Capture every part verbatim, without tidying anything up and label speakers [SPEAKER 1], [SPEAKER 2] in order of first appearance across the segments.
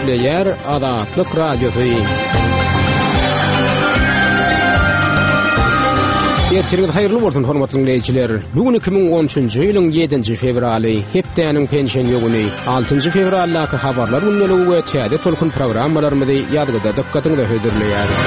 [SPEAKER 1] Gepleýär Azatlyk Radiosy. Ertiriňiz haýyrly bolsun hormatly dinleýjiler. Bu gün iki müň on üçünji ýylyň ýedinji fewraly, hepdäniň penşenbe güni, altynjy fewraldaky habarlar gündeligi we täze tolkun programmalarymyzy ýazgyda dykgatyňyza hödürleýäris.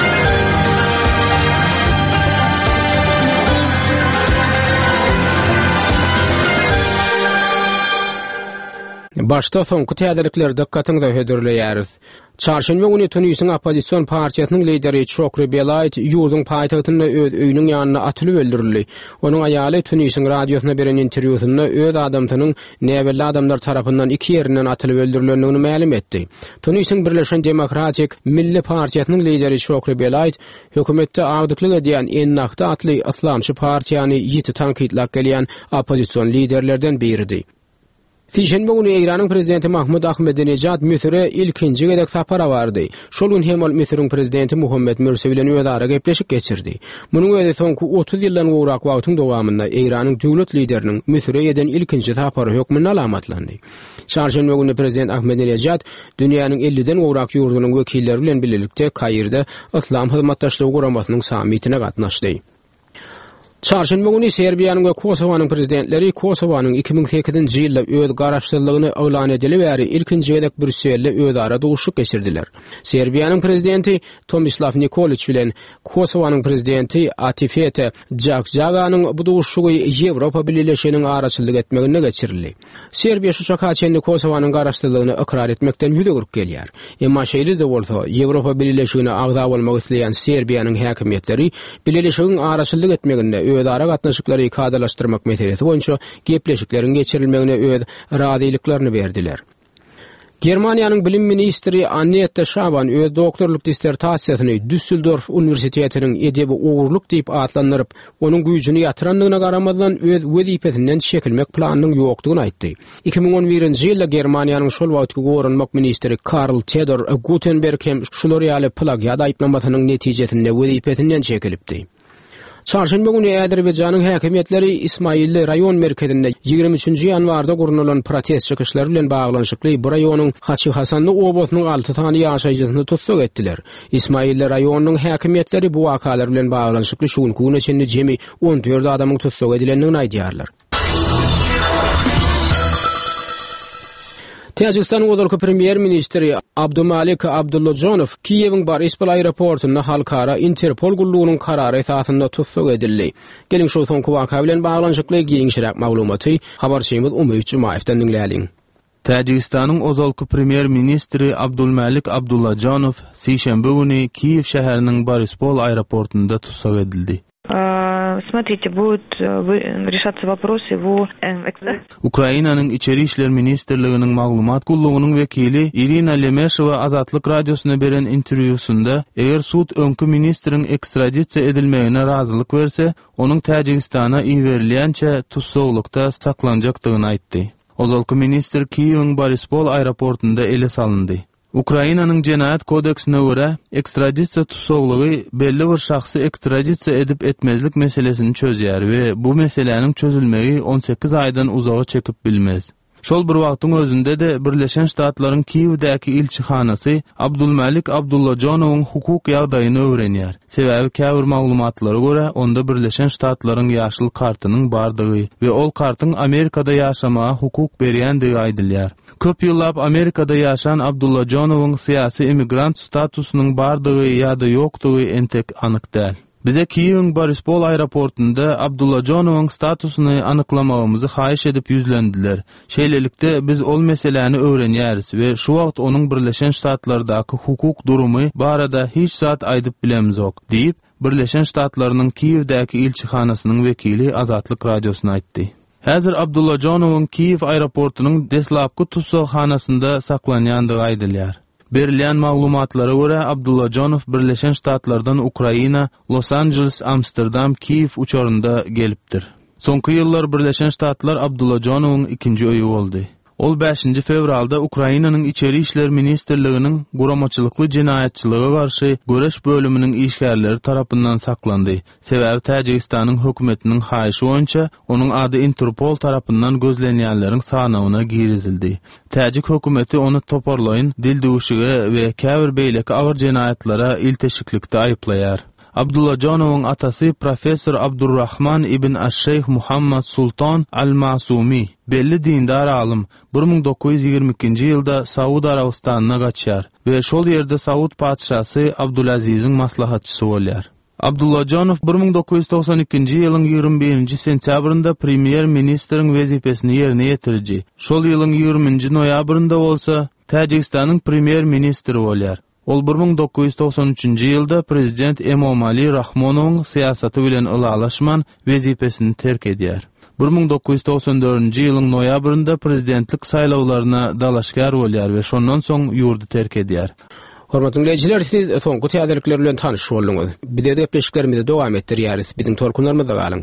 [SPEAKER 1] Başda soňky täzelikleri dykgatyňyza hödürleýäris. Çarşenbe güni Tunisiň oppozision partiýasynyň lideri Çokri Belaid ýurduň paýtagtynda öz öýüniň ýanynda atylyp öldürildi. Onuň aýaly Tunisiň radiosyna beren interwýusynda öz adamsynyň näbelli adamlar tarapyndan iki ýerinden atylyp öldürilendigini mälim etdi. Tunisiň Birleşen Demokratik Milli Partiýasynyň lideri Çokri Belaid hökümetde agdyklyk edýän Ennahda atly yslamçy partiýany ýiti tankytlap gelýän oppozision liderlerden biridi. Sişenbe güni Eýranyň prezidenti Mahmud Ahmedinejad Müsüre ilkinji gezek sapara bardy. Şol gün hem ol Müsüriň prezidenti Muhammed Mürsi bilen özara gepleşik geçirdi. Munuň özi soňky otuz ýyldan gowrak wagtyň dowamynda Eýranyň döwlet lideriniň Müsüre eden ilkinji sapary hökmünde alamatlandy. Çarşenbe güni prezident Ahmedinejad dünýäniň elliden gowrak ýurdunyň wekilleri bilen birlikde Kairde Yslam Hyzmatdaşlygy Guramasynyň sammitine gatnaşdy. Çarşenbe güni Serbiýanyň we Kosowanyň prezidentleri Kosowanyň iki müň sekizinji ýylda öz garaşsyzlygyny yglan edili bäri ilkinji gezek Brýusselde özara duşuşyk geçirdiler. Serbiýanyň prezidenti Tomislav Nikoliç bilen Kosowanyň prezidenti Atifete Jahjaganyň bu duşuşygy Ýewropa Bileleşiginiň araçylyk etmeginde geçirildi. Serbiýa şu çaka çenli Kosowanyň garaşsyzlygyny ykrar etmekden ýüz öwrüp gelýär. Emma şeýle-de bolsa, Ýewropa Bileleşigine agza bolmak isleýän Serbiýanyň häkimiýetleri Bileleşigiň araçylyk etmeginde özara gatnaşyklary kadalaşdyrmak meselesi boýunça gepleşikleriň geçirilmegine öz razylyklaryny berdiler. Germaniýanyň bilim ministri Annette Schavan öz doktorlyk dissertasiýasyny Düsseldorf Uniwersitetiniň edebi ogurlyk diýip atlandyryp, onuň güýjüni ýatyrandygyna garamazdan öz wezipesinden çekilmek planynyň ýokdugyny aýtdy. iki müň on birinji ýylda Germaniýanyň şol wagtky goranmak ministri Karl Theodor Gutenberg hem şular ýaly plagiat aýyplamasynyň netijesinde wezipesinden çekilipdi. Çarşenbe güni Azerbaýjanyň häkimiýetleri Ismailli raýon merkezinde ýigrimi üçünji ýanwarda gurnalan protest çykyşlary bilen baglanyşykly bu raýonyň Haçy Hasanly obasynyň alty sany ýaşaýjysyny tussag etdiler. Ismailli raýonynyň häkimiýetleri bu wakalar bilen baglanyşykly şu günki güne çenli jemi on dört adamyň tussag edilendigini aýdýarlar. Täjigistanyň ozalky premýer-ministri Abdumalik Abdullajonow Kiýewiň Borispol aeroportunda halkara Interpol gullugynyň karary esasynda tussag edildi. Geliň şu soňky waka bilen baglanyşykly giňişräk maglumaty habarçymyz Umyt Jumaýewden diňläliň.
[SPEAKER 2] Täjigistanyň ozalky premýer-ministri Abdulmalik Abdullajonow sişenbe güni Kiýew şäheriniň Borispol aeroportunda tussag edildi.
[SPEAKER 3] Смотрите, будет, э, решаться вопрос его, э, экс-
[SPEAKER 2] Ukrainanyň Içeri işler ministrliginiň maglumat gullugynyň wekili Irina Lemeşewa Azatlyk radiosyna beren interwýusynda, eger sud öňki ministriň ekstradisiýa edilmegine razylyk berse, onuň Täjigistana iberilýänçe tussaglykda saklanjakdygyny aýtdy. Ozalky ministr Kiýewiň Borispol aeroportunda ele salyndy. Ukrainanyň Jenaýat kodeksine görä, ekstradisiýa tussaglygy belli bir şahsy ekstradisiýa edip etmezlik meselesini çözýär we bu meseläniň çözülmegi on sekiz aýdan uzaga çekip bilmez. Şol bir wagtyň özünde-de Birleşen Ştatlaryň Kiýewdäki ilçihanasy Abdulmalik Abdullajonowyň hukuk ýagdaýyny öwrenýär. Sebäbi käbir maglumatlara görä, onda Birleşen Ştatlaryň ýaşyl kartynyň bardygy we ol kartyň Amerikada ýaşamaga hukuk berýändigi aýdylýar. Köp ýyllap Amerikada ýaşan Abdullajonowyň syýasy immigrant statusynyň bardygy ýa-da ýokdugy entek anyk däl. Bize Kiýewiň Borispol aeroportunda Abdullajonowyň statusyny anyklamagymyzy haýyş edip ýüzlendiler. Şeýlelikde biz ol meseläni öwrenýäris we şu wagt onuň Birleşen Ştatlardaky hukuk durumy barada hiç zat aýdyp bilemzok, diýip, Birleşen Ştatlarynyň Kiýewdäki ilçihanasynyň wekili Azatlyk radiosyna aýtdy. Häzir Abdullajonowyň Kiýew aeroportunyň deslapky tussaghanasynda saklanýandygy aýdylýar. Berilýän maglumatlara görä Abdullajonow Birleşen Ştatlardan Ukraina, Los Angeles, Amsterdam, Kiýew uçarynda gelipdir. Soňky ýyllar Birleşen Ştatlar Abdullajonowyň ikinji öýi boldy. Ol bäşinji fewralda Ukrainanyň Içeri işler ministrliginiň guramaçylykly jenaýatçylyga garşy göreş bölüminiň işgärleri tarapyndan saklandy. Sebäbi Täjigistanyň hökümetiniň haýyşy boýunça onuň ady Interpol tarapyndan gözlenýänleriň sanawyna girizildi. Täjik hökümeti ony toparlaýyn dildüwşüge we käbir beýleki agyr jenaýatlara ilteşiklikde aýyplaýar. Abdullajonowyň atasy professor Abdurrahman ibn Aş-Şeýh Muhammad Sultan Al-Masumi, belli dindar alym, bir müň dokuz ýüz ýigrimi ikinji ýylda Saud Arabystanyna gaçýar we şol ýerde Saud patyşasy Abdulaziziň maslahatçysy bolýar. Abdullajonow bir müň dokuz ýüz togsan ikinji ýylyň ýigrimi birinji sentýabrynda premýer-ministriň wezipesini ýerine ýetiriji, şol ýylyň ýigriminji noýabrynda bolsa Täjigistanyň premýer-ministri bolýar. Ol bir müň dokuz ýüz togsan üçünji ýylda prezident Emomali Rahmonowyň syýasaty bilen ylalaşman wezipesini terk edýär. Bir müň dokuz ýüz togsan dördünji ýylyň noýabrynda prezidentlik saýlawlaryna dalaşgär bolýar we şondan soň ýurdy terk edýär.
[SPEAKER 1] Hormatly diňleýjiler, siz soňky täzelikler bilen tanyş bolduňyz. Biz gepleşiklerimizi dowam etdirýäris. Biziň tolkunlarymyzda galyň.